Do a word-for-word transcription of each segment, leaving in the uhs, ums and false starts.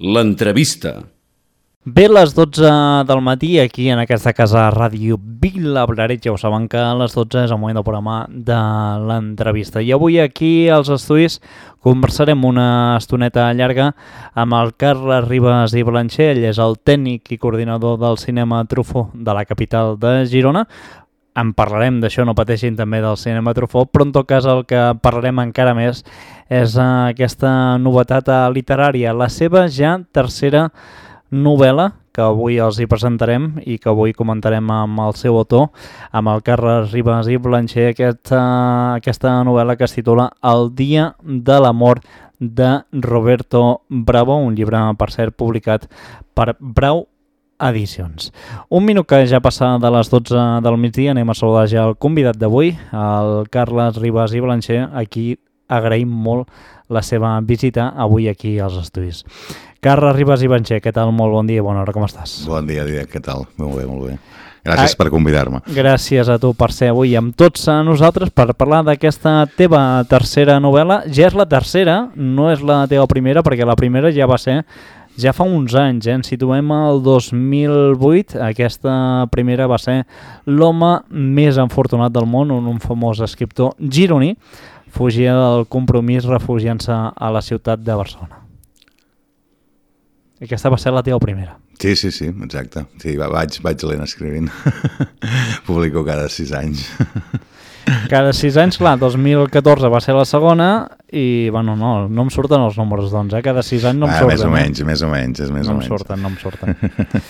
L'entrevista. Bé, les dotze del matí, aquí en aquesta casa Ràdio Vilablareix, ja ho saben que a les dotze és el moment del programa de l'entrevista. I avui aquí als estudis conversarem una estoneta llarga amb el Carles Ribas i Blancher. Ell és el tècnic i coordinador del Cinema Truffaut de la capital de Girona. En parlarem d'això, no pateixin, també del Cinema Truffaut, però en tot cas el que parlarem encara més és aquesta novetat literària, la seva ja tercera novel·la que avui els hi presentarem i que avui comentarem amb el seu autor, amb el Carles Ribas i Blancher, aquesta, aquesta novel·la que es titula El dia de la mort de Roberto Bravo, un llibre, per cert, publicat per Brau Edicions. Un minut que ja passa de les dotze del migdia, anem a saludar ja el convidat d'avui, el Carles Ribas i Blancher, a qui agraïm molt la seva visita avui aquí als estudis. Carles Ribas i Blancher, què tal? Molt bon dia, bona hora, com estàs? Bon dia, dia, què tal? Molt bé, molt bé. Gràcies ah, per convidar-me. Gràcies a tu per ser avui amb tots a nosaltres per parlar d'aquesta teva tercera novel·la. Ja és la tercera, no és la teva primera, perquè la primera ja va ser ja fa uns anys, eh? Ens situem al dos mil vuit. Aquesta primera va ser L'home més afortunat del món, on un famós escriptor gironí fugia del compromís refugiant-se a la ciutat de Barcelona. Aquesta va ser la teva primera. Sí, sí, sí, exacte. Sí, vaig, vaig lent escrivint. Publico cada sis anys. Cada sis anys, clar, dos mil catorze va ser la segona i, bueno, no, no em surten els números, doncs, eh? Cada sis anys no em ah, surten. Més o menys, eh? més o menys, és més no o menys. No em surten, no em surten.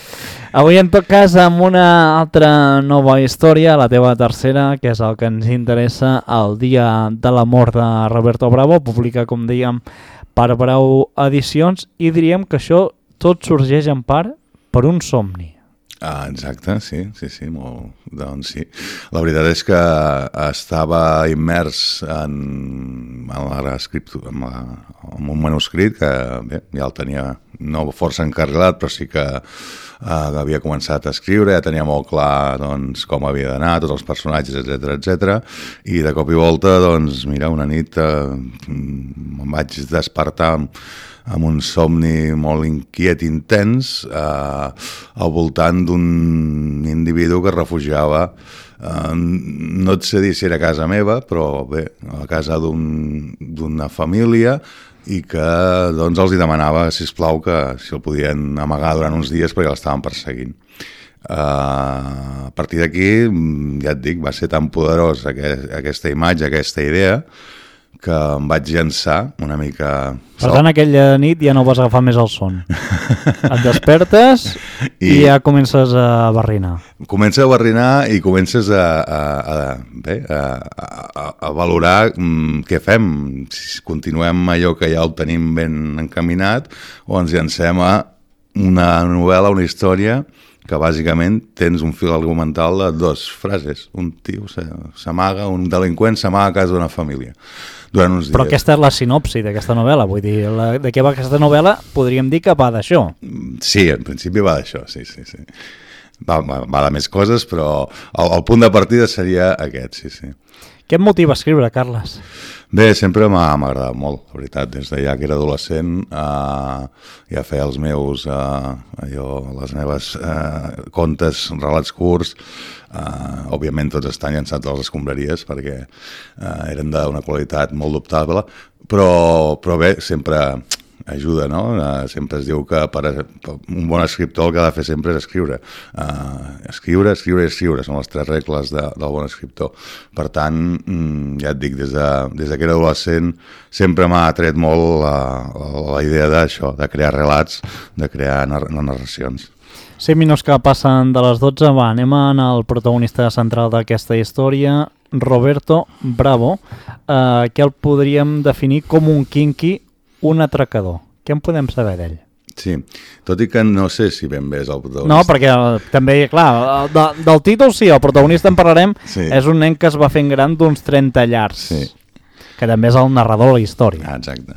Avui, en tot cas, amb una altra nova història, la teva tercera, que és el que ens interessa, El dia de la mort de Roberto Bravo, publica, com dèiem, per Brau Edicions, i diríem que això tot sorgeix en part per un somni. Ah, exacte, sí, sí, sí, molt, doncs sí. La veritat és que estava immers en, en, l'escriptura, en, la, en un manuscrit que bé, ja el tenia no força encarrilat, però sí que uh, havia començat a escriure, ja tenia molt clar doncs, com havia d'anar, tots els personatges, etcètera, etcètera, i de cop i volta, doncs, mira, una nit uh, em vaig despertar amb amb un somni molt inquiet, intens, eh, al voltant d'un individu que es refugiava, eh, no et sé dir si era a casa meva, però bé, a casa d'un, d'una família, i que doncs els hi demanava, sisplau, que si el podien amagar durant uns dies perquè l'estaven perseguint. Uh, a partir d'aquí, ja et dic, va ser tan poderós aquest, aquesta imatge, aquesta idea, que em vaig llançar una mica... Per tant, aquella nit ja no vas agafar més el son. Et despertes i, i ja comences a barrinar. Comences a barrinar i comences a, a, a, bé, a, a, a valorar mm, què fem. Si continuem allò que ja el tenim ben encaminat o ens llancem a una novel·la, una història que bàsicament tens un fil argumental de dues frases. Un tio s'amaga, un delinqüent s'amaga a casa d'una família durant uns dies. Però aquesta és la sinopsi d'aquesta novel·la, vull dir, la, de què va aquesta novel·la podríem dir que va d'això. Sí, en principi va d'això, sí, sí, sí. Va, va, va de més coses, però el, el punt de partida seria aquest, sí, sí. Què et motiva a escriure, Carles? Bé, sempre m'ha agradat molt, la veritat, des de ja que era adolescent, eh, ja feia els meus, eh, allò, les meves eh, contes, relats curts, eh, òbviament tots estan llançats a les escombraries perquè eh, eren d'una qualitat molt dubtable, però, però bé, sempre ajuda, no? Uh, sempre es diu que per, per un bon escriptor el que ha de fer sempre és escriure. Uh, escriure, escriure i escriure, són les tres regles de, del bon escriptor. Per tant, mm, ja et dic, des de, des de que era adolescent sempre m'ha atret molt la, la, la idea d'això, de crear relats, de crear nar narracions. Cinc minuts que passen de les dotze, va, anem a anar al protagonista central d'aquesta història, Roberto Bravo, uh, que el podríem definir com un quinqui, un atracador. Què en podem saber d'ell? Sí, tot i que no sé si ben bé és el protagonista. No, perquè també, clar, de, del títol sí, el protagonista en parlarem, sí. És un nen que es va fent gran d'uns trenta llargs, sí. Que també és el narrador de la història. Ah, exacte.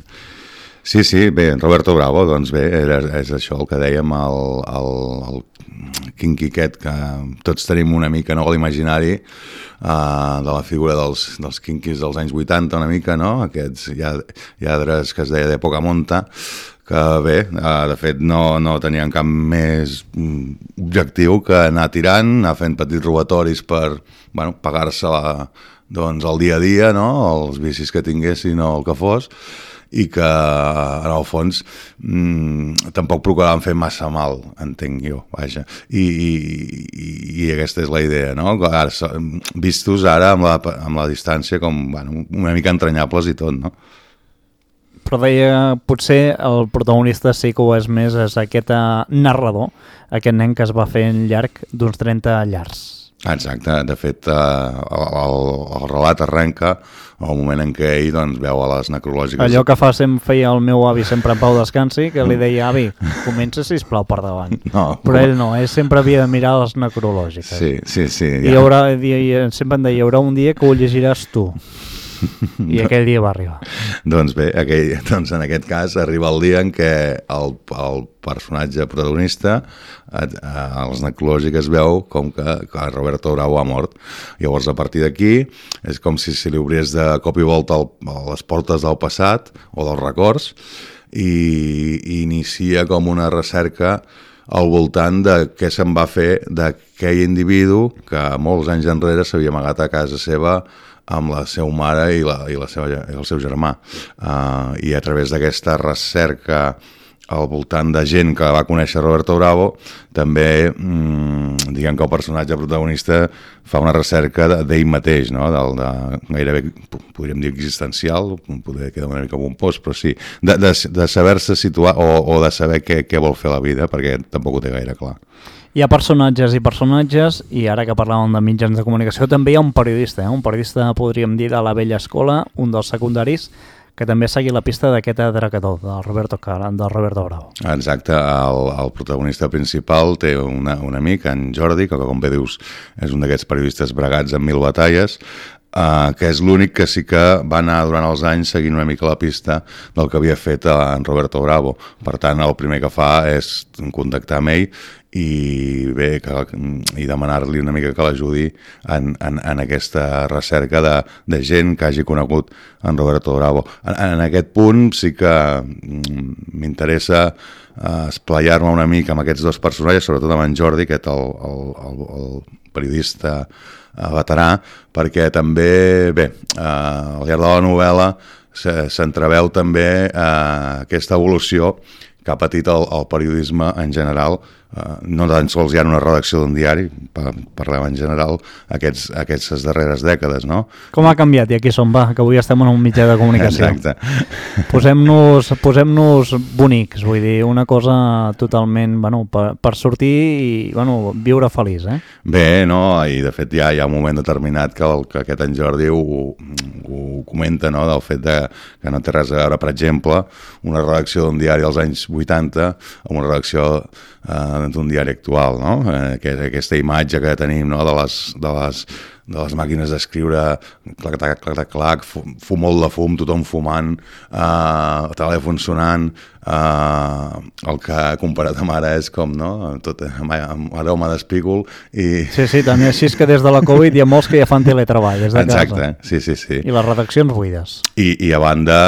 Sí, sí, bé, Roberto Bravo, doncs bé, era, és això el que dèiem, el, el, el quinqui aquest, que tots tenim una mica, no?, l'imaginari uh, de la figura dels, dels quinquis dels anys vuitanta, una mica, no?, aquests lladres que es deia d'època monta, que bé, uh, de fet no, no tenien cap més objectiu que anar tirant, anar fent petits robatoris per bueno, pagar-se la, doncs, el dia a dia, no? Els vicis que tinguessin o el que fos, i que en el fons mmm, tampoc procuraven fer massa mal, entenc jo, vaja. I, i, i aquesta és la idea, no? Ara, vistos ara amb la, amb la distància com bueno, una mica entranyables i tot, no? Però deia, potser el protagonista sí que ho és més, és aquest narrador, aquest nen que es va fer en llarg d'uns trenta llargs. Exacte, de fet el, el, el relat arrenca al moment en què ell doncs, veu a les necrològiques... Allò que fa sempre, feia el meu avi sempre en Pau Descansi, que li deia, avi, comença sisplau per davant. No, però ell no, ell sempre havia de mirar les necrològiques. Sí, sí, sí. I, ja. haurà, i sempre em deia, hi haurà un dia que ho llegiràs tu. I aquell dia va arribar. Doncs bé, aquell, doncs en aquest cas arriba el dia en què el, el personatge protagonista a, a les necrològiques veu com que, que Roberto Bravo ha mort. Llavors a partir d'aquí és com si se li obrés de cop i volta el, les portes del passat o dels records i, i inicia com una recerca al voltant de què se'n va fer d'aquell individu que molts anys enrere s'havia amagat a casa seva amb la seva mare i, la, i, la seva, i el seu germà. Uh, I a través d'aquesta recerca al voltant de gent que va conèixer Roberto Bravo, també mmm, diguem que el personatge protagonista fa una recerca d'ell mateix, no? Del, de, gairebé, podríem dir existencial, poder quedar una mica pompós, però sí, de, de, de saber-se situar o, o de saber què, què vol fer la vida, perquè tampoc ho té gaire clar. Hi ha personatges i personatges, i ara que parlàvem de mitjans de comunicació, també hi ha un periodista, eh? un periodista, podríem dir, de la vella escola, un dels secundaris, que també segui la pista d'aquest atracador, del Roberto, del Roberto Bravo. Exacte, el, el protagonista principal té una, un amic, en Jordi, que com bé dius és un d'aquests periodistes bregats en mil batalles, Uh, que és l'únic que sí que va anar durant els anys seguint una mica la pista del que havia fet en Roberto Bravo. Per tant, el primer que fa és contactar amb ell i, bé, que, i demanar-li una mica que l'ajudi en, en, en aquesta recerca de, de gent que hagi conegut en Roberto Bravo. En, en aquest punt sí que m'interessa uh, esplayar-me una mica amb aquests dos personatges, sobretot amb en Jordi, aquest el, el, el, el periodista veterà, perquè també, bé, eh, al llarg de la novel·la s'entreveu també eh, aquesta evolució que ha patit el, el periodisme en general, eh, no tan sols hi ha una redacció d'un diari, parlem en general, aquests, aquestes darreres dècades, no? Com ha canviat? I aquí som, va, que avui estem en un mitjà de comunicació. Exacte. Posem-nos posem-nos bonics, vull dir, una cosa totalment, bueno, per, per sortir i, bueno, viure feliç, eh? Bé, no, i de fet ja hi ha un moment determinat que, el, que aquest en Jordi ho, ho comenta, no?, del fet de, que no té res a veure, per exemple, una redacció d'un diari dels anys vuitanta amb una redacció eh, d'un diari actual, no? Eh, aquesta imatge que tenim, no?, de les, de les, de les màquines d'escriure, clac, clac, clac, clac, fum, molt de fum, tothom fumant, eh, telèfon sonant, eh, el que comparat amb ara és com, no?, tot, ara home d'espígol i... Sí, sí, també així és que des de la Covid hi ha molts que ja fan teletreball des de casa. Exacte, sí, sí, sí. I les redaccions buides. I, i a banda,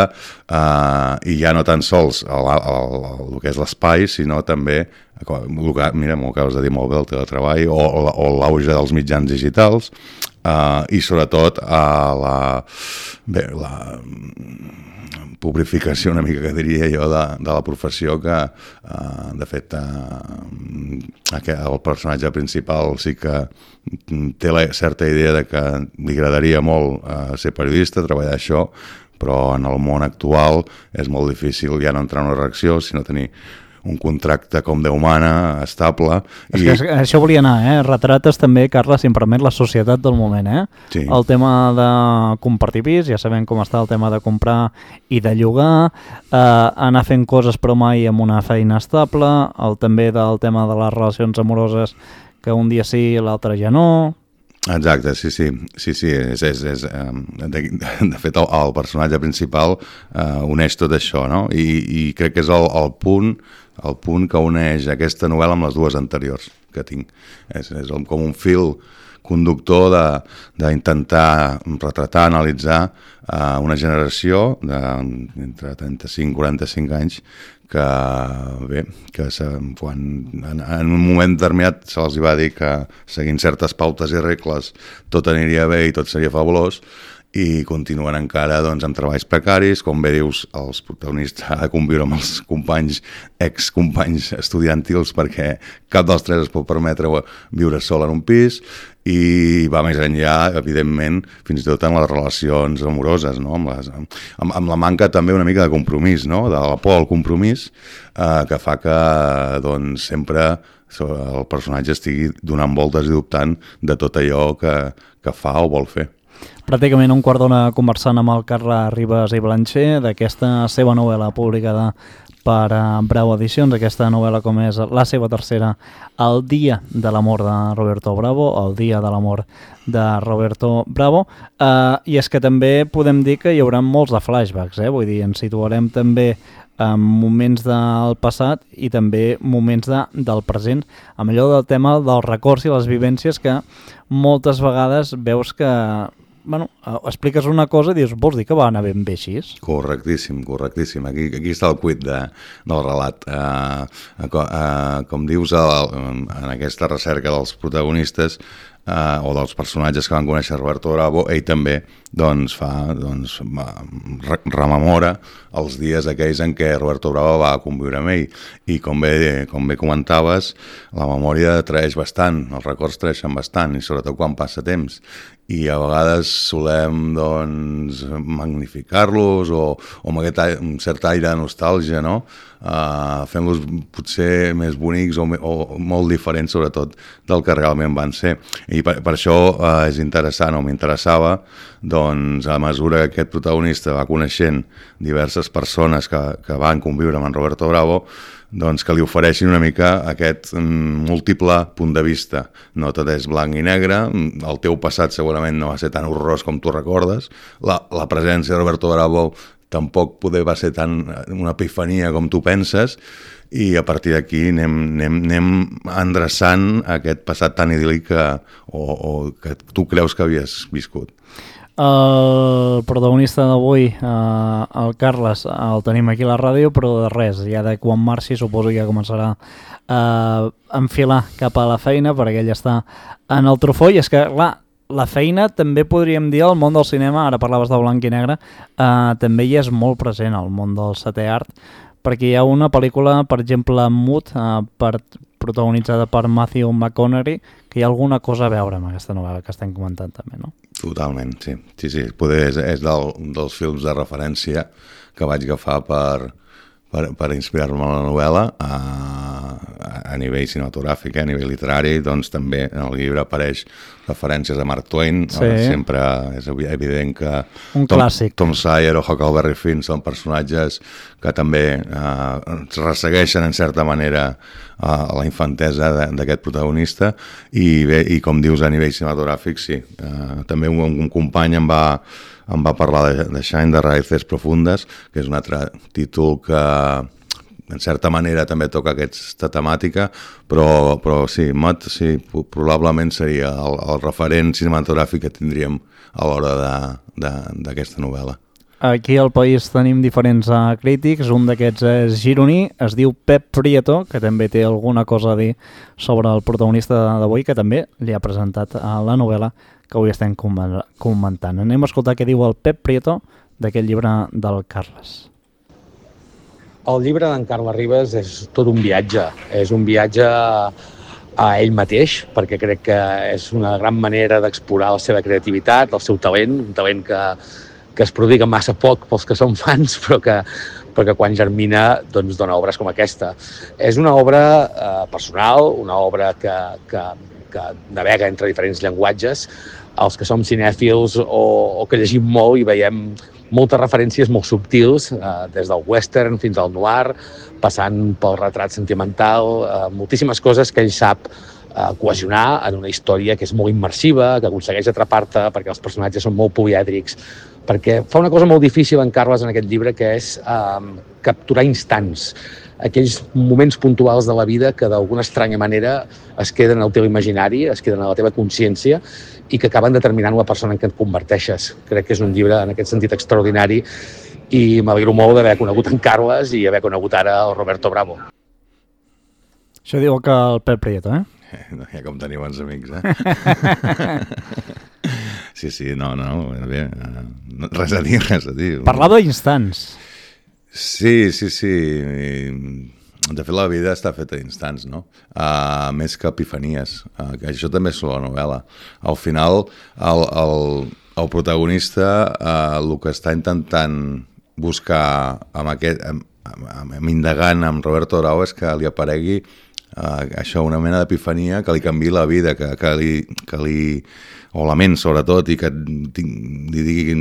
eh, i ja no tan sols el, el, el, el que és l'espai, sinó també, mira, m'ho acabes de dir molt bé, el teletreball, o, o l'auge dels mitjans digitals, Uh, i sobretot uh, la, bé, la publificació una mica que diria jo de, de la professió que uh, de fet uh, el personatge principal sí que té la certa idea de que li agradaria molt uh, ser periodista, treballar això, però en el món actual és molt difícil ja no entrar en una redacció, sinó tenir un contracte com Déu mana, estable. És que i... això volia anar, eh? Retrates també, Carles, si em permet, la societat del moment, eh? Sí. El tema de compartir pis, ja sabem com està el tema de comprar i de llogar, eh, anar fent coses però mai amb una feina estable, el també del tema de les relacions amoroses, que un dia sí i l'altre ja no... Exacte, sí, sí, sí, sí, és, és, és, de, de fet el, el personatge principal uh, uneix tot això, no? I, i crec que és el, el punt el punt que uneix aquesta novel·la amb les dues anteriors que tinc. És, és com un fil conductor d'intentar retratar, analitzar uh, una generació d'entre trenta-cinc i quaranta-cinc anys que, bé, que se, quan en, en un moment determinat se'ls va dir que seguint certes pautes i regles tot aniria bé i tot seria fabulós, i continuen encara doncs, amb treballs precaris, com bé dius, els protagonistes han de conviure amb els companys, ex-companys estudiantils, perquè cap dels tres es pot permetre viure sol en un pis, i va més enllà, evidentment, fins i tot en les relacions amoroses, no? amb, les, amb, amb la manca també una mica de compromís, no? De la por al compromís, eh, que fa que doncs, sempre el personatge estigui donant voltes i dubtant de tot allò que, que fa o vol fer. Pràcticament un quart d'hora conversant amb el Carles Ribas i Blancher d'aquesta seva novel·la publicada per Bravo Edicions, aquesta novel·la com és la seva tercera, El dia de l'amor de Roberto Bravo, El dia de l'amor de Roberto Bravo, eh, i és que també podem dir que hi haurà molts de flashbacks, eh? Vull dir, ens situarem també en moments del passat i també moments de, del present, amb allò del tema dels records i les vivències que moltes vegades veus que bueno, expliques una cosa i dius, vols dir que va anar ben bé així? Correctíssim, correctíssim. Aquí, aquí està el cuit de, del relat. Uh, uh, uh, com dius, el, en aquesta recerca dels protagonistes uh, o dels personatges que van conèixer Roberto Bravo, ell també doncs, fa, doncs, rememora els dies aquells en què Roberto Bravo va conviure amb ell. I com bé, com bé comentaves, la memòria traeix bastant, els records traeixen bastant, i sobretot quan passa temps. I a vegades solem doncs, magnificar-los o, o amb aquest un cert aire de nostàlgia, no? Uh, fent-los potser més bonics o, o molt diferents, sobretot, del que realment van ser. I per, per això uh, és interessant, o m'interessava, doncs, a mesura que aquest protagonista va coneixent diverses persones que, que van conviure amb en Roberto Bravo, doncs que li ofereixin una mica aquest mm, múltiple punt de vista. No tot és blanc i negre, el teu passat segurament no va ser tan horrorós com tu recordes, la, la presència de Roberto Bravo tampoc poder va ser tan una epifania com tu penses, i a partir d'aquí anem, anem, anem endreçant aquest passat tan idíl·lic que, o, o que tu creus que havies viscut. El protagonista d'avui, eh, el Carles, el tenim aquí a la ràdio, però de res, ja de quan marxi suposo que ja començarà a enfilar cap a la feina, perquè ell està en el trofó, i és que, clar, la feina també podríem dir al món del cinema, ara parlaves de blanc i negre, eh, també hi és molt present al món del setè art, perquè hi ha una pel·lícula, per exemple, Mood, eh, per, protagonitzada per Matthew McConaughey, que hi ha alguna cosa a veure amb aquesta novel·la que estem comentant també, no? Totalment, sí. Sí, sí, poder és, és del, dels films de referència que vaig agafar per, per, per inspirar-me en la novel·la a, a nivell cinematogràfic, a nivell literari, doncs també en el llibre apareix referències a Mark Twain, sí. Sempre és evident que un Tom, clàssic. Tom Sawyer o Huckleberry Finn són personatges que també eh, ressegueixen en certa manera eh, la infantesa d'aquest protagonista, i bé, i com dius a nivell cinematogràfic, sí, eh, també un, un company em va em va parlar de, de Shine, de Raíces Profundes, que és un altre títol que en certa manera també toca aquesta temàtica, però, però sí, Mott sí, probablement seria el, el referent cinematogràfic que tindríem a l'hora d'aquesta novel·la. Aquí al país tenim diferents uh, crítics, un d'aquests és gironí, es diu Pep Prieto, que també té alguna cosa a dir sobre el protagonista d'avui, que també li ha presentat a la novel·la que avui estem comentant. Anem a escoltar què diu el Pep Prieto d'aquest llibre del Carles. El llibre d'en Carles Ribas és tot un viatge, és un viatge a ell mateix, perquè crec que és una gran manera d'explorar la seva creativitat, el seu talent, un talent que, que es prodiga massa poc pels que són fans, però que, però que quan germina doncs, dona obres com aquesta. És una obra eh, personal, una obra que, que, que navega entre diferents llenguatges. Els que som cinèfils o, o que llegim molt i veiem moltes referències molt subtils, eh, des del western fins al noir, passant pel retrat sentimental, eh, moltíssimes coses que ell sap eh, cohesionar en una història que és molt immersiva, que aconsegueix atrapar-te perquè els personatges són molt polièdrics, perquè fa una cosa molt difícil en Carles en aquest llibre, que és eh, capturar instants. aquells moments puntuals de la vida que d'alguna estranya manera es queden al teu imaginari, es queden a la teva consciència i que acaben determinant la persona en què et converteixes. Crec que és un llibre en aquest sentit extraordinari i m'alegro molt d'haver conegut en Carles i haver conegut ara el Roberto Bravo. Això diu que el Pep Prieto, eh? No, ja com teniu bons amics, eh? Sí, sí, no, no, bé, no, res a dir, res a dir. Parlava d'instants. Sí, sí, sí. De fet, la vida està feta d'instants, no? Uh, més que epifanies. Uh, això també és la novel·la. Al final, el, el, el protagonista uh, el que està intentant buscar amb aquest, amb, amb, amb indagant amb Roberto Bravo és que li aparegui uh, això, una mena d'epifania que li canviï la vida, que, que, li, que li... o la ment, sobretot, i que tinc, li diguin,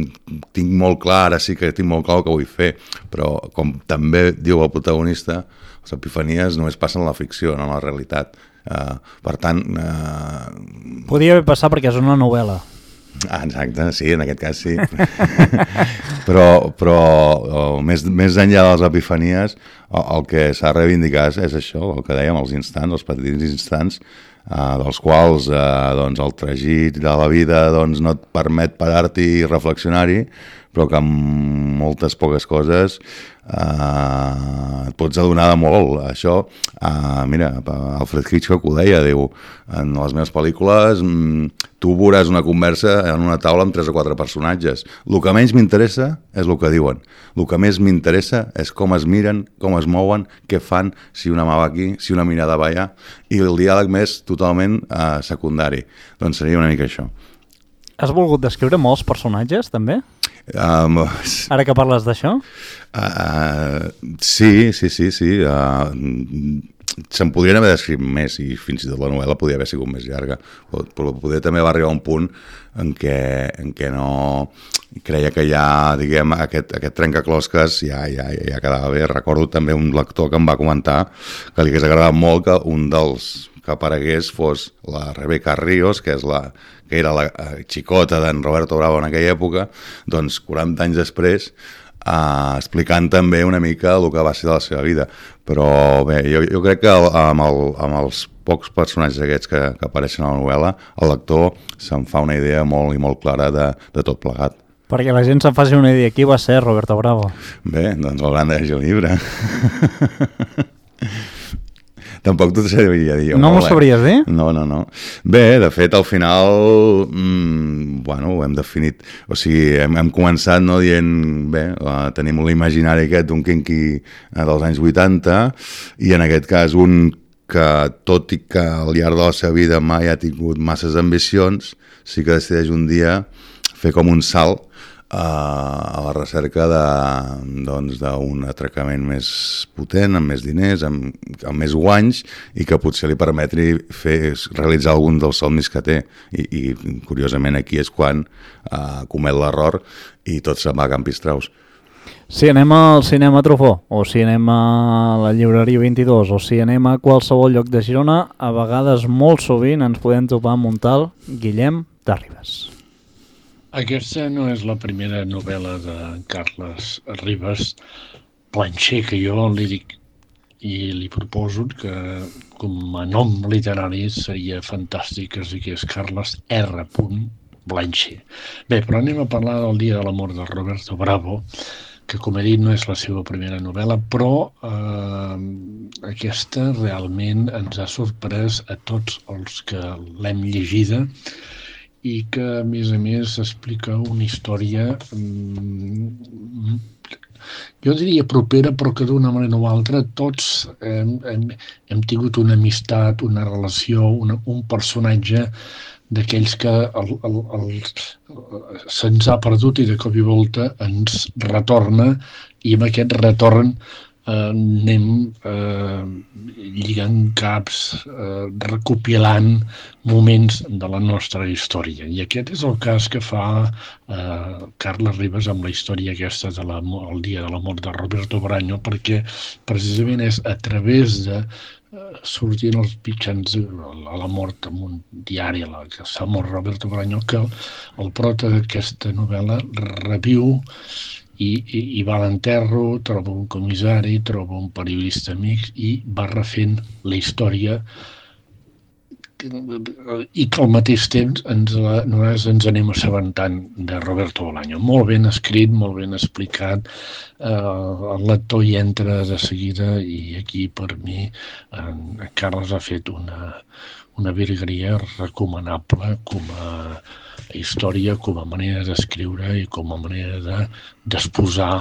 tinc molt clar, ara sí que tinc molt clar el que vull fer, però com també diu el protagonista, les epifanies només passen a la ficció, no a la realitat. Uh, per tant... Uh... Podria haver passat perquè és una novel·la. Ah, exacte, sí, en aquest cas sí. però però oh, més, més enllà de les epifanies, el, el que s'ha reivindicat és això, el que dèiem, els instants, els petits instants, Uh, dels quals uh, doncs, el tragit de la vida doncs, no et permet parar-t'hi i reflexionar-hi, però que amb moltes poques coses uh, et pots adonar de molt. Això, uh, mira, Alfred Hitchcock ho deia, diu, en les meves pel·lícules mm, tu veuràs una conversa en una taula amb tres o quatre personatges. El que menys m'interessa és el que diuen. El que més m'interessa és com es miren, com es mouen, què fan, si una mà va aquí, si una mirada va allà, i el diàleg més totalment uh, secundari. Doncs seria una mica això. Has volgut descriure molts personatges, també? Um, Ara que parles d'això? Uh, sí, sí, sí, sí. Uh, se'n podrien haver descrit més i fins i tot la novel·la podria haver sigut més llarga, però poder també va arribar a un punt en què, en què no creia que ja, diguem, aquest, aquest trencaclosques ja, ja, ja quedava bé. Recordo també un lector que em va comentar que li hagués agradat molt que un dels que aparegués fos la Rebeca Ríos, que és la que era la xicota d'en Roberto Bravo en aquella època, doncs quaranta anys després, Uh, explicant també una mica el que va ser de la seva vida. Però bé, jo, jo crec que amb, el, amb els pocs personatges aquests que, que apareixen a la novel·la, el lector se'n fa una idea molt i molt clara de, de tot plegat. Perquè la gent se'n faci una idea, qui va ser Roberto Bravo? Bé, doncs hauran de llegir el llibre. Tampoc t'ho sabria dir. No m'ho sabries dir? No, no, no. Bé, de fet, al final, mmm, bueno, ho hem definit, o sigui, hem, hem començat no, dient, bé, uh, tenim l'imaginari aquest d'un quinqui uh, dels anys vuitanta, i en aquest cas un que, tot i que al llarg de la seva vida mai ha tingut masses ambicions, sí que decideix un dia fer com un salt a la recerca de, doncs, d'un atracament més potent, amb més diners, amb, amb més guanys, i que potser li permetri fer, realitzar algun dels somnis que té. I, i curiosament aquí és quan uh, comet l'error i tot se'n va a Campistraus. Si anem al cinema Truffaut, o si anem a la llibreria vint-i-dos, o si anem a qualsevol lloc de Girona, a vegades molt sovint ens podem topar amb un tal Guillem de Ribes. Aquesta no és la primera novel·la de Carles Ribes Plancher que jo li dic i li proposo que com a nom literari seria fantàstic que es digués Carles R. Plancher. Bé, però anem a parlar del Dia de l'amor de Roberto Bravo, que com he dit no és la seva primera novel·la, però eh, aquesta realment ens ha sorprès a tots els que l'hem llegida i que, a més a més, explica una història, mm, jo diria propera, però que d'una manera o altra tots hem, hem, hem tingut una amistat, una relació, una, un personatge d'aquells que el, el, el, se'ns ha perdut i de cop i volta ens retorna, i amb aquest retorn eh, anem eh, lligant caps, eh, recopilant moments de la nostra història. I aquest és el cas que fa eh, Carles Ribes amb la història aquesta del Dia de l'amor de Roberto Braño, perquè precisament és a través de eh, sortint els mitjans a la mort amb un diari a la que s'ha mort Roberto Braño que el, el prota d'aquesta novel·la reviu i, i, i va a l'enterro, troba un comissari, troba un periodista amic i va refent la història i que al mateix temps ens, nosaltres ens anem assabentant de Roberto Bolaño. Molt ben escrit, molt ben explicat, eh, el lector hi entra de seguida i aquí per mi en Carles ha fet una, una virgueria recomanable com a història, com a manera d'escriure i com a manera de, d'exposar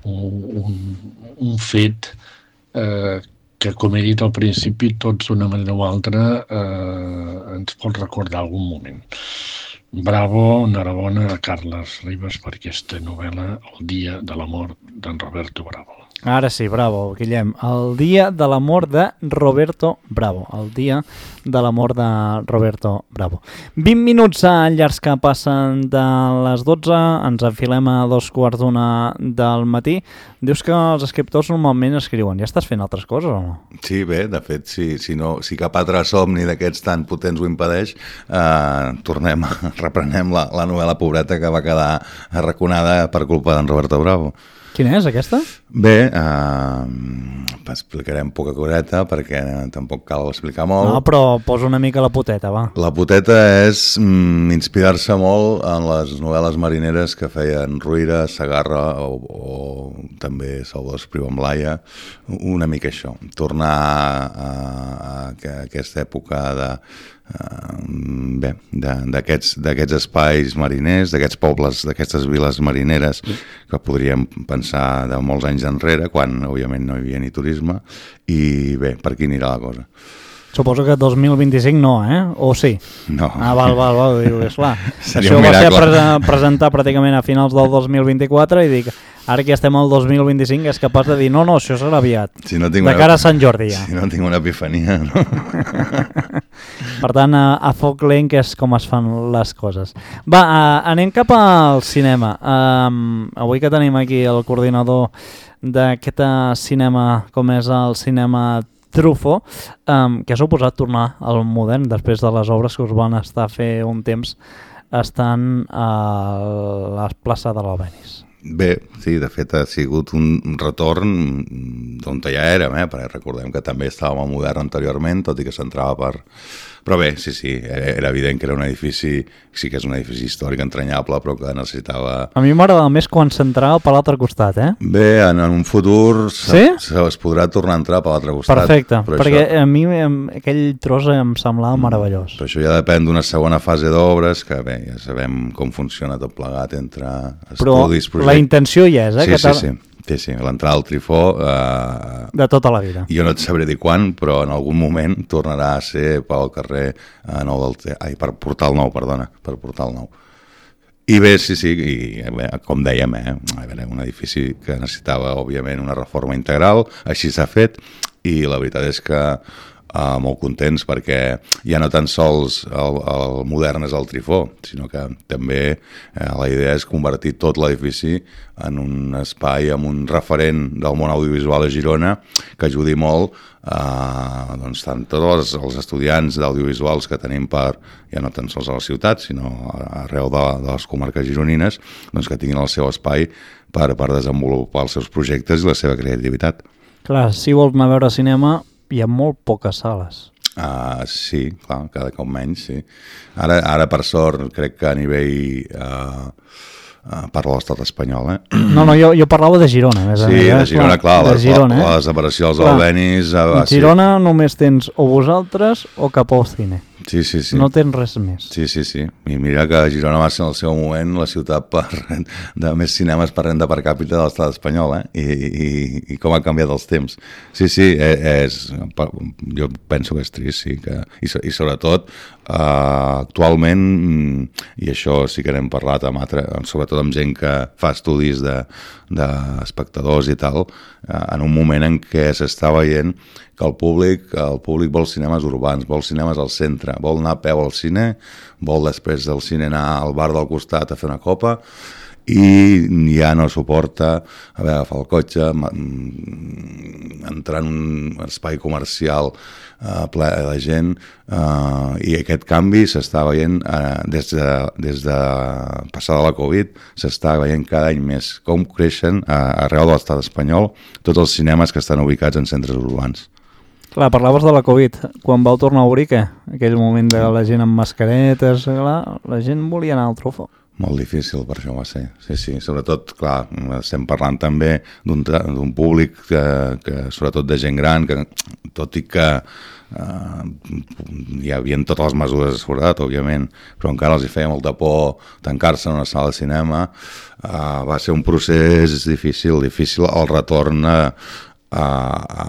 un, un, un fet eh, que, com he dit al principi, tots d'una manera o altra eh, ens pot recordar algun moment. Bravo, enhorabona a Carles Ribas per aquesta novel·la, El dia de la mort d'en Roberto Bravo. Ara sí, bravo, Guillem. El dia de la mort de Roberto Bravo. El dia de la mort de Roberto Bravo. vint minuts llargs que passen de les dotze, ens enfilem a dos quarts d'una del matí. Dius que els escriptors normalment escriuen. Ja estàs fent altres coses o no? Sí, bé, de fet, si, si, no, si cap altre somni d'aquests tan potents ho impedeix, eh, tornem, reprenem la, la novel·la pobreta que va quedar arraconada per culpa d'en Roberto Bravo. Quina és, aquesta? Bé, eh, explicarem poca coreta perquè tampoc cal explicar molt. No, però posa una mica la poteta, va. La poteta és mm, inspirar-se molt en les novel·les marineres que feien Ruïra, Segarra o, o també Salvador Espriu amb Laia, una mica això. Tornar a, a, a aquesta època de... Uh, bé, d'aquests d'aquests espais mariners, d'aquests pobles, d'aquestes viles marineres que podríem pensar de molts anys enrere, quan òbviament no hi havia ni turisme, i bé, per aquí anirà la cosa. Suposo que dos mil vint-i-cinc no, eh? O sí? No. Ah, val, val, val, diu, esclar. Seria Això un ho va ser miracle. pre presentar pràcticament a finals del dos mil vint-i-quatre i dic, ara que estem al dos mil vint-i-cinc és capaç de dir, no, no, això serà aviat. Si no tinc de una... cara a Sant Jordi ja. Si no tinc una epifania, no? Per tant, a, a foc lent que és com es fan les coses. Va, a, anem cap al cinema. Um, avui que tenim aquí el coordinador d'aquest cinema, com és el cinema Truffaut, um, que ha suposat tornar al modern després de les obres que us van estar a fer un temps estan a la plaça de l'Albenis. Bé, sí, de fet ha sigut un retorn d'on ja érem, eh? Perquè recordem que també estàvem al modern anteriorment, tot i que s'entrava per... Però bé, sí, sí, era evident que era un edifici, sí que és un edifici històric entranyable, però que necessitava... A mi m'agrada més quan s'entrava per l'altre costat, eh? Bé, en, en un futur sí? es podrà tornar a entrar per l'altre costat. Perfecte, perquè això... a mi aquell tros em semblava meravellós. Però això ja depèn d'una segona fase d'obres, que bé, ja sabem com funciona tot plegat entre estudis, però projectes... Però la intenció ja és, eh? Sí, que sí, sí. Sí, sí, l'entrada al Trifó... Eh, de tota la vida. Jo no et sabré dir quan, però en algun moment tornarà a ser pel carrer eh, nou del... Ai, per Portal Nou, perdona, per Portal Nou. I bé, sí, sí, i bé, com dèiem, eh, a veure, un edifici que necessitava, òbviament, una reforma integral, així s'ha fet, i la veritat és que Uh, molt contents perquè ja no tan sols el, el modern és el Trifó, sinó que també eh, la idea és convertir tot l'edifici en un espai amb un referent del món audiovisual a Girona que ajudi molt uh, doncs, tant tots els estudiants d'audiovisuals que tenim per, ja no tan sols a la ciutat, sinó arreu de, de les comarques gironines, doncs que tinguin el seu espai per, per desenvolupar els seus projectes i la seva creativitat. Clar, si vols anar a veure cinema hi ha molt poques sales. Uh, sí, clar, cada cop menys, sí. Ara, ara per sort, crec que a nivell... Uh, uh, parlo de l'estat espanyol, eh? No, no, jo, jo parlava de Girona. Més sí, a de Girona, clar, de la, Girona, la, eh? la desaparició dels Albenis... Uh, a Girona sí. Només tens o vosaltres o cap al cine. Sí, sí, sí. No tens res més. Sí, sí, sí. I mira que Girona va ser en el seu moment la ciutat per, de més cinemes per renda per càpita de l'estat espanyol, eh? I, i, i com ha canviat els temps. Sí, sí, és, jo penso que és trist, sí. Que, i, I sobretot, eh, actualment, i això sí que n'hem parlat amb altre, sobretot amb gent que fa estudis d'espectadors de, i tal, eh, en un moment en què s'està veient que el públic, el públic vol cinemes urbans, vol cinemes al centre, vol anar a peu al cine, vol després del cine anar al bar del costat a fer una copa, i ja no suporta haver d'agafar el cotxe, entrar en un espai comercial uh, ple de gent, uh, i aquest canvi s'està veient uh, des, de, des de passada la Covid, s'està veient cada any més com creixen uh, arreu de l'estat espanyol tots els cinemes que estan ubicats en centres urbans. Clar, parlaves de la Covid. Quan vau tornar a obrir, què? Aquell moment de la gent amb mascaretes, clar, la gent volia anar al Truffaut. Molt difícil, per això va ser. Sí, sí, sobretot, clar, estem parlant també d'un, d'un públic que, que, sobretot de gent gran, que tot i que uh, hi havia totes les mesures de seguretat, òbviament, però encara els hi feia molta por tancar-se en una sala de cinema, uh, va ser un procés difícil, difícil el retorn a, a, a,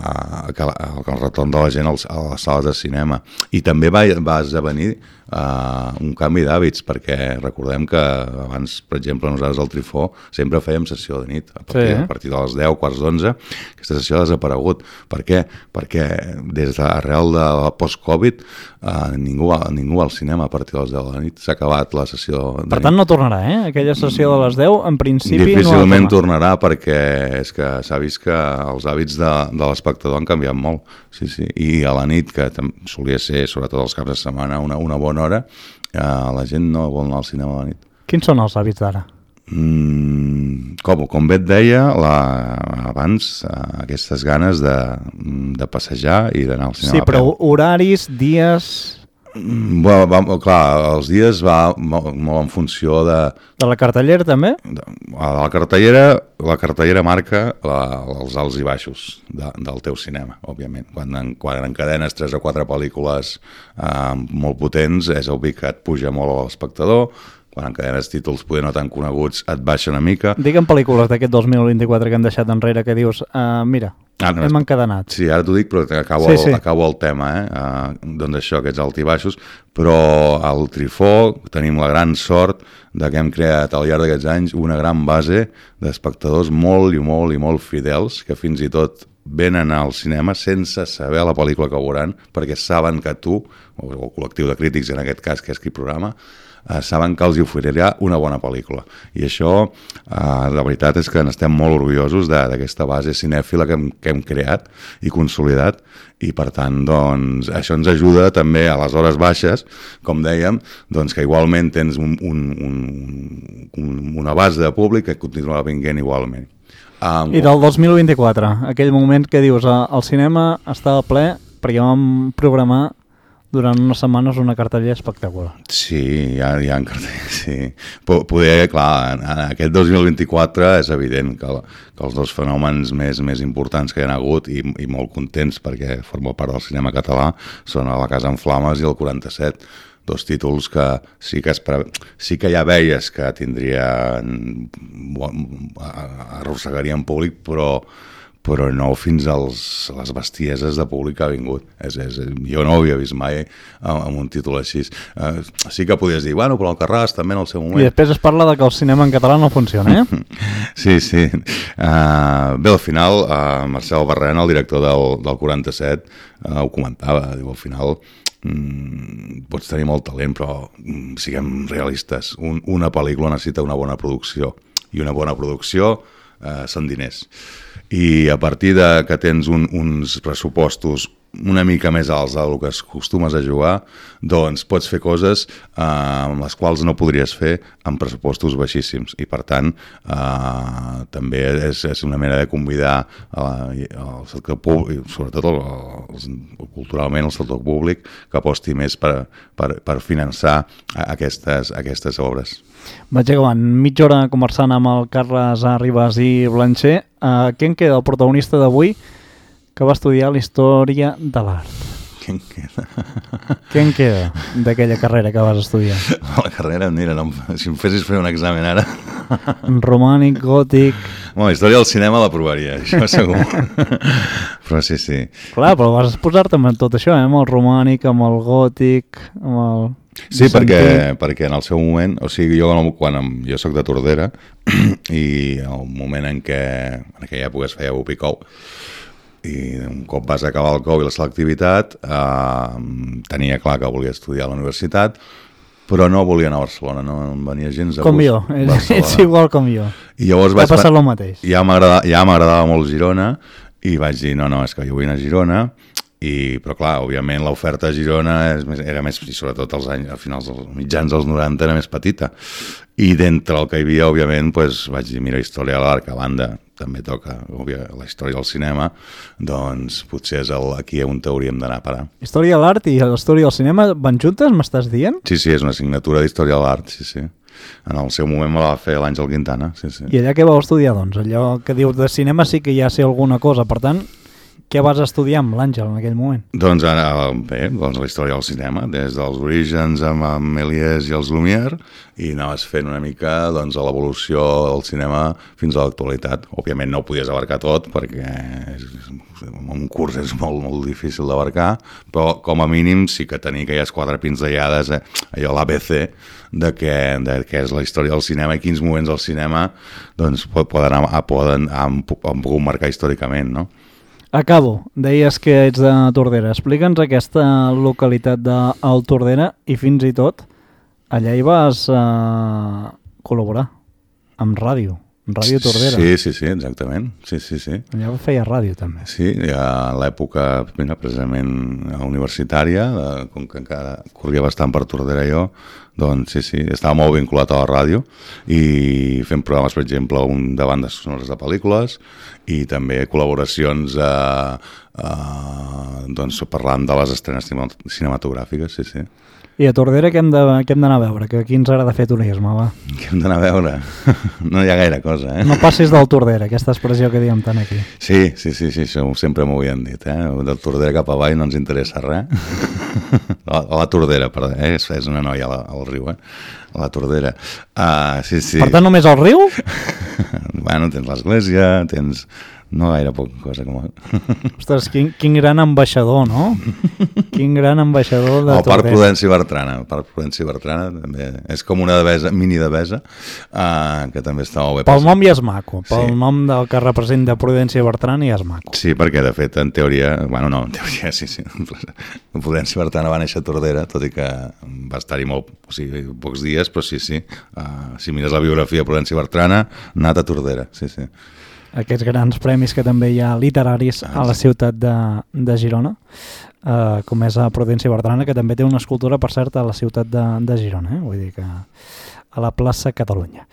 a, el retorn de la gent als, a les sales de cinema. I també va, va esdevenir Uh, un canvi d'hàbits, perquè recordem que abans, per exemple, nosaltres al Trifó sempre fèiem sessió de nit, a partir, sí. a partir de les deu, quarts d'onze, aquesta sessió ha desaparegut. Per què? Perquè des d'arrel de la post-Covid uh, ningú, ningú al cinema a partir de les deu de la nit, s'ha acabat la sessió de nit. Per tant no tornarà, eh? Aquella sessió de les deu, en principi difícilment no tornarà, perquè és que s'ha vist que els hàbits de, de l'espectador han canviat molt, sí, sí. I a la nit, que solia ser, sobretot els caps de setmana, una, una bona hora, eh, la gent no vol anar al cinema a la nit. Quins són els hàbits d'ara? Mm, com, com bé et deia, la, abans eh, aquestes ganes de, de passejar i d'anar al cinema. Sí, però horaris, dies... Mm, va, va, clar, els dies va molt, molt en funció de... De la cartellera també? De, de la cartellera, la cartellera marca la, els alts i baixos de, del teu cinema, òbviament. Quan, en, quan encadenes tres o quatre pel·lícules eh, molt potents, és obvi que et puja molt a l'espectador. Quan encadenes títols poder no tan coneguts, et baixa una mica. Digue'm pel·lícules d'aquest dos mil vint-i-quatre que han deixat enrere que dius, uh, mira, ah, no, hem encadenat. Sí, ara t'ho dic, però acabo, sí, sí. acabo el tema, eh? Uh, doncs això, aquests alt i baixos, però al Trifó tenim la gran sort de que hem creat al llarg d'aquests anys una gran base d'espectadors molt i molt i molt fidels, que fins i tot venen al cinema sense saber la pel·lícula que veuran, perquè saben que tu, o el col·lectiu de crítics en aquest cas, que és qui programa, Uh, saben que els hi oferirà una bona pel·lícula. I això, uh, la veritat és que n'estem molt orgullosos d'aquesta base cinèfila que hem, que hem creat i consolidat, i per tant, doncs, això ens ajuda també a les hores baixes, com dèiem, doncs que igualment tens un, un, un, un, una base de públic que continuarà vinguent igualment. Um, I del dos mil vint-i-quatre, aquell moment que dius, el cinema estava ple perquè vam programar durant unes setmanes una cartellera espectacular. Sí, hi ha, hi ha cartellera, sí. Poder, clar, en aquest dos mil vint-i-quatre és evident que, que els dos fenòmens més, més importants que hi ha hagut, i, i molt contents perquè forma part del cinema català, són a La Casa en Flames i el quaranta-set, dos títols que sí que, espera, sí que ja veies que tindrien, arrossegarien públic, però però no fins als, a les bestieses de públic que ha vingut. És, és, jo no ho havia vist mai amb, amb un títol així. Uh, sí que podies dir, bueno, però el Carràs també en el seu moment. I després es parla de que el cinema en català no funciona, eh? Sí, sí. Uh, bé, al final, uh, Marcel Barrena, el director del, del quaranta-set, uh, ho comentava, diu, al final mm, pots tenir molt talent, però mm, siguem realistes. Un, una pel·lícula necessita una bona producció, i una bona producció uh, són diners. I a partir de que tens un, uns pressupostos una mica més alts del que acostumes a jugar, doncs pots fer coses eh, amb les quals no podries fer amb pressupostos baixíssims. I per tant, eh, també és, és una manera de convidar eh, el sector públic, sobretot el, el, culturalment el sector públic, que aposti més per, per, per finançar aquestes, aquestes obres. Vaig acabant mitja hora conversant amb el Carles Arribas i Blancher. Uh, què en queda el protagonista d'avui que va estudiar la història de l'art? Què en queda? Què en queda d'aquella carrera que vas estudiar? La carrera, mira, no, si em fessis fer un examen ara... Romànic, gòtic... Bueno, la història del cinema l'aprovaria, això segur. Però sí, sí. Clar, però vas posar-te amb tot això, eh? Amb el romànic, amb el gòtic, amb el... Sí, perquè, perquè en el seu moment, o sigui, jo quan em, jo soc de Tordera i el moment en què en aquella època es feia U P I C O U i un cop vas acabar el C O U i la selectivitat eh, tenia clar que volia estudiar a la universitat, però no volia anar a Barcelona, no em venia gens de com gust. jo, Barcelona. ets igual com jo. I llavors T'ha vaig... passat el mateix. Ja m'agradava ja m'agradava molt Girona i vaig dir, no, no, és que jo vull anar a Girona, i, però clar, òbviament l'oferta a Girona és més, era més, i sobretot als anys, a finals dels mitjans dels noranta era més petita. I d'entre el que hi havia, òbviament, pues, vaig dir, mira, història de l'art, que a banda també toca òbvia, la història del cinema, doncs potser és el, aquí on hauríem d'anar a parar. Història de l'art i la història del cinema van juntes, m'estàs dient? Sí, sí, és una assignatura d'història de l'art, sí, sí. En el seu moment me la va fer l'Àngel Quintana, sí, sí. I allà què vau estudiar, doncs? Allò que dius de cinema sí que ja sé alguna cosa, per tant, què vas estudiar amb l'Àngel en aquell moment? Doncs ara, bé, doncs la història del cinema, des dels orígens amb, amb Méliès i els Lumière, i anaves fent una mica doncs, l'evolució del cinema fins a l'actualitat. Òbviament no ho podies abarcar tot, perquè és, un curs és molt, molt difícil d'abarcar, però com a mínim sí que tenir aquelles quatre pinzellades, eh, allò l'A B C, de què, de què és la història del cinema i quins moments del cinema doncs, poden, poden, han, han pogut marcar històricament, no? Acabo. Deies que ets de Tordera. Explica'ns aquesta localitat del Tordera i fins i tot allà hi vas eh, col·laborar amb ràdio, amb Ràdio Tordera. Sí, sí, sí, exactament. Sí, sí, sí. Allà feia ràdio també. Sí, a l'època precisament universitària, com que encara corria bastant per Tordera jo, doncs sí, sí, estava molt vinculat a la ràdio i fent programes, per exemple, un de bandes sonores de pel·lícules i també col·laboracions eh, eh, doncs, parlant de les estrenes cinematogràfiques, sí, sí. I a Tordera què hem d'anar a veure? Que aquí ens agrada fer turisme, va. Què hem d'anar a veure? No hi ha gaire cosa, eh? No passis del Tordera, aquesta expressió que diem tant aquí. Sí, sí, sí, sí, això sempre m'ho havien dit, eh? Del Tordera cap avall no ens interessa res. A la Tordera, perdó, eh? És una noia al riu, eh? A la Tordera. Uh, sí, sí. Per tant, només al riu? Bueno, tens l'església, tens... No gaire poca cosa com... Ostres, quin, quin gran ambaixador, no? Quin gran ambaixador de Tordera. El Parc Prudenci Bertrana. El Parc Prudenci Bertrana també és com una devesa, mini devesa, uh, que també està molt bé. Pel nom ja és maco. Pel sí. nom del que representa Prudenci Bertrana ja és maco. Sí, perquè de fet, en teoria... Bueno, no, en teoria sí, sí. Prudenci Bertrana va néixer a Tordera, tot i que va estar-hi molt, o sigui, pocs dies, però sí, sí. Uh, si mires la biografia de Prudenci Bertrana, ha anat a Tordera, sí, sí. Aquests grans premis que també hi ha literaris a la ciutat de, de Girona, eh, com és a Prudenci Bertrana, que també té una escultura, per cert, a la ciutat de, de Girona, eh? Vull dir que a la plaça Catalunya.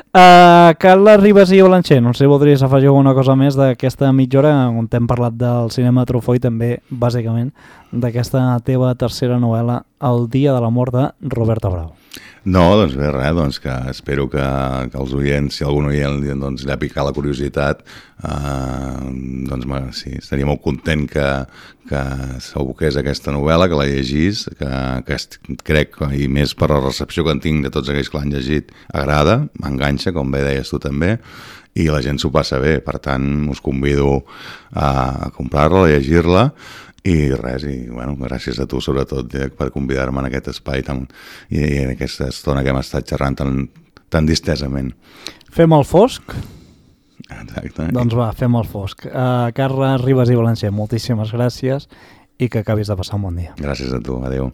Uh, Carles Ribas i Blancher, no sé si voldries afegir alguna cosa més d'aquesta mitja hora on t'hem parlat del cinema Truffaut i també, bàsicament, d'aquesta teva tercera novel·la, El dia de la mort de Roberto Bravo. No, doncs bé, res, doncs que espero que, que els oients, si algun oient doncs, li ha picat la curiositat, eh, doncs sí, estaria molt content que, que s'aboqués aquesta novel·la, que la llegís, que, que est, crec, i més per la recepció que en tinc de tots aquells que l'han llegit, agrada, m'enganxa, com bé deies tu també, i la gent s'ho passa bé, per tant us convido a comprar-la, a llegir-la, i res, i bueno, gràcies a tu sobretot eh, per convidar-me en aquest espai tan, i, i en aquesta estona que hem estat xerrant tan, tan distesament. Fem el fosc? Exacte. Doncs va, fem el fosc. Uh, Carles Ribas i Blancher, moltíssimes gràcies i que acabis de passar un bon dia. Gràcies a tu, adeu.